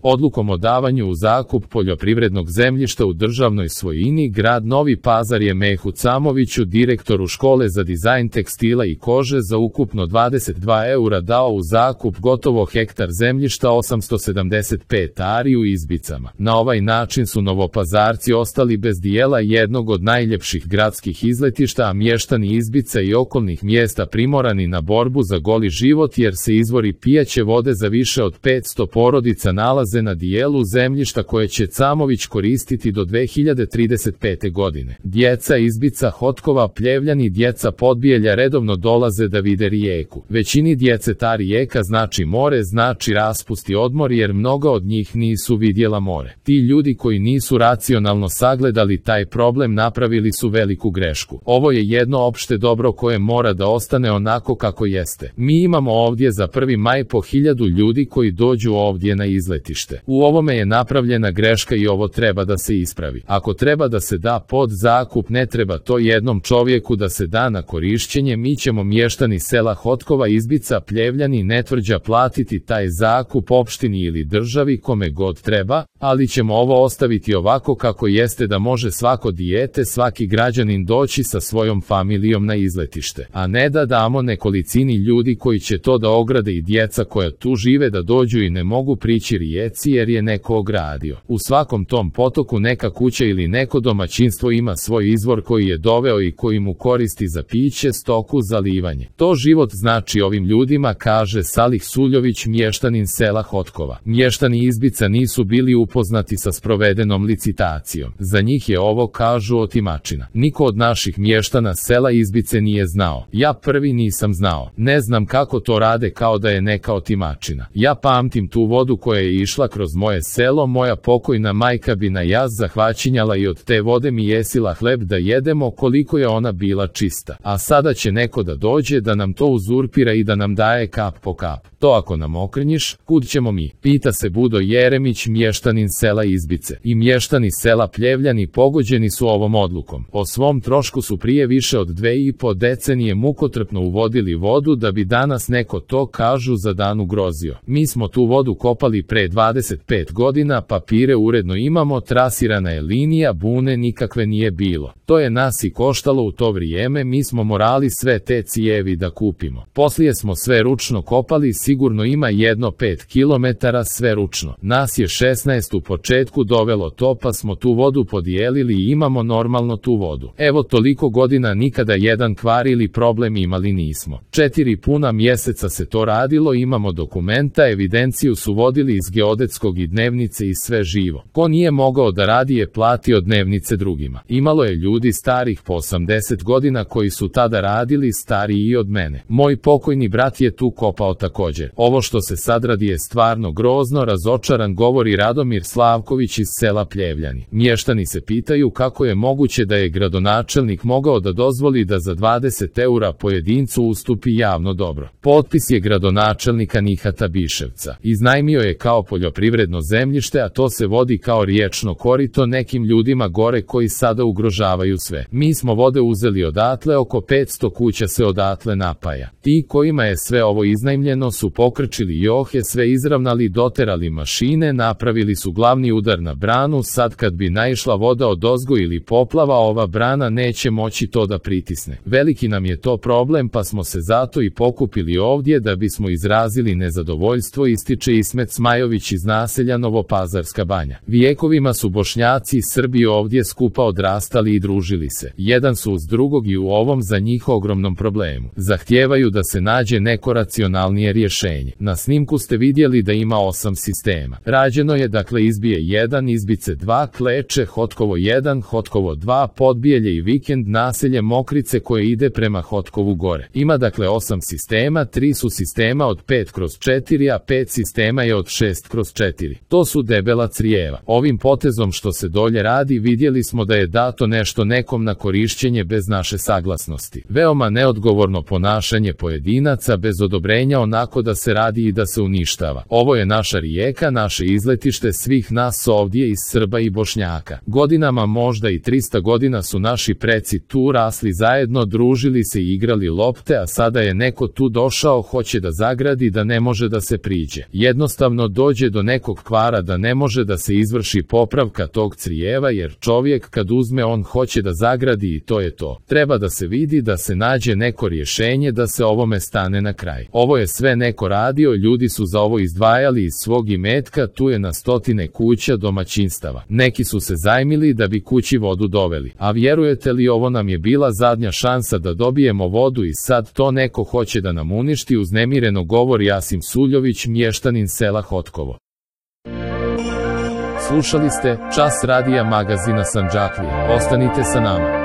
Odlukom o davanju u zakup poljoprivrednog zemljišta u državnoj svojini grad Novi Pazar je Mehu Camoviću, direktoru škole za dizajn tekstila i kože, za ukupno 22 eura dao u zakup gotovo hektar zemljišta 875 ari u Izbicama. Na ovaj način su Novopazarci ostali bez dijela jednog od najljepših gradskih izletišta, a mještani Izbica i okolnih mjesta primorani na borbu za goli život jer se izvori pijaće vode za više od 500 porodica nalaze na dijelu zemljišta koje će Camović koristiti do 2035. godine. Djeca Izbica, Hotkova, Pljevljani, djeca Podbijelja redovno dolaze da vide rijeku. Većini djece ta rijeka znači more, znači raspust i odmor, jer mnoga od njih nisu vidjela more. Ti ljudi koji nisu racionalno sagledali taj problem napravili su veliku grešku. Ovo je jedno opšte dobro koje mora da ostane onako kako jeste. Mi imamo ovdje za 1. maj po 1000 ljudi koji dođu ovdje na izletište. U ovome je napravljena greška i ovo treba da se ispravi. Ako treba da se da pod zakup, ne treba to jednom čovjeku da se da na korišćenje. Mi ćemo mještani sela Hotkova, Izbica, Pljevljani, Netvrđa platiti taj zakup opštini ili državi, kome god treba, ali ćemo ovo ostaviti ovako kako jeste, da može svako dijete, svaki građanin doći sa svojom familijom na izletište, a ne da damo nekolicini ljudi koji će to da ograde i djeca koja tu žive da dođu i ne mogu prići rijeci jer je neko ogradio. U svakom tom potoku neka kuća ili neko domaćinstvo ima svoj izvor koji je doveo i koji mu koristi za piće, stoku, zalivanje. To život znači ovim ljudima, kaže Salih Suljović, mještanin sela Hotkova. Mještani Izbica nisu bili upoznati sa sprovedenom licitacijom. Za njih je ovo, kažu, otimačina. Niko od naših mještana sela Izbice nije znao. Ja prvi nisam znao. Ne znam kako to rade, kao da je neka otimačina. Ja pamtim tu vodu koja je išla kroz moje selo, moja pokojna majka bi na jaz zahvaćinjala i od te vode mi jesila hleb da jedemo, koliko je ona bila čista. A sada će neko da dođe da nam to uzurpira i da nam daje kap po kap. To ako nam okrnjiš, kud ćemo mi? Pita se Budo Jeremić, mještanin sela Izbice. I mještani sela Pljevljani pogođeni su ovom odlukom. O svom trošku su prije više od 2,5 decenije mukotrpno uvodili vodu da bi danas neko to, kažu, za dan ugrozio. Mi smo tu vodu kopali pre 25 godina, papire uredno imamo, trasirana je linija, bune nikakve nije bilo. To je nas i koštalo u to vrijeme, mi smo morali sve te cijevi da kupimo. Poslije smo sve ručno kopali, sigurno ima jedno 5 kilometara sve ručno. Nas je 16 u početku dovelo to, pa smo tu vodu podijelili i imamo normalno tu vodu. Evo toliko godina nikada jedan kvar ili problem imali nismo. 4 puna mjeseca se to radilo, imamo dokumenta, evidenciju su vodili iz geodetskog i dnevnice i sve živo. Ko nije mogao da radi je platio dnevnice drugima. Imalo je ljudi starih po 80 godina koji su tada radili, stariji i od mene. Moj pokojni brat je tu kopao također. Ovo što se sad radi je stvarno grozno, razočaran, govori Radomir Slavković iz sela Pljevljani. Mještani se pitaju kako je moguće da je gradonačelnik mogao da dozvoli da za 20 eura pojedincu ustupi javno dobro. Potpis je gradonačelnika Nihata Biševca. Iznajmio je kao poljoprivredno zemljište, a to se vodi kao riječno korito nekim ljudima gore koji sada ugrožavaju sve. Mi smo vode uzeli odatle, oko 500 kuća se odatle napaja. Ti kojima je sve ovo iznajmljeno su pokrčili johe, sve izravnali, doterali mašine, napravili su glavni udar na branu. Sad kad bi naišla voda odozgo ili poplava, ova brana neće moći to da pritisne. Veliki nam je to problem, pa smo se zato i pokupili ovdje da bismo izrazili nezadovoljstvo, ističe Ismet Smajović iz naselja Novopazarska Banja. Vijekovima su Bošnjaci i Srbi ovdje skupa odrastali i družili se. Jedan su uz drugog i u ovom za njih ogromnom problemu zahtijevaju da se nađe neko racionalnije rješenje. Na snimku ste vidjeli da ima 8 sistema. Rađeno je dakle Izbije 1, Izbice 2, Kleče, Hotkovo 1, Hotkovo 2, Podbijelje i Vikend, naselje Mokrice koje ide prema Hotkovu gore. Ima dakle 8 sistema, 3 su sistema od 5/4, a 5 sistema je od 6/4. To su debela crijeva. Ovim potezom što se dolje radi vidjeli smo da je dato nešto nekom na korišćenje bez naše saglasnosti. Veoma neodgovorno ponašanje pojedinaca bez odobrenja, onako da se radi i da se uništava. Ovo je naša rijeka, naše izletište svih nas ovdje iz Srba i Bošnjaka. Godinama, možda i 300 godina su naši preci tu rasli zajedno, družili se i igrali lopte, a sada je neko tu došao, hoće da zagradi, da ne može da se priđe. Jednostavno dođe dođe do nekog kvara da ne može da se izvrši popravka tog crijeva jer čovjek kad uzme on hoće da zagradi i to je to. Treba da se vidi da se nađe neko rješenje da se ovome stane na kraj. Ovo je sve neko radio, ljudi su za ovo izdvajali iz svog imetka, tu je na stotine kuća, domaćinstava. Neki su se zajmili da bi kući vodu doveli. A vjerujete li, ovo nam je bila zadnja šansa da dobijemo vodu i sad to neko hoće da nam uništi, uznemireno govori Asim Suljović, mještanin sela Hotkovo. Slušali ste Čas radija magazina Sandžaklija. Ostanite sa nama.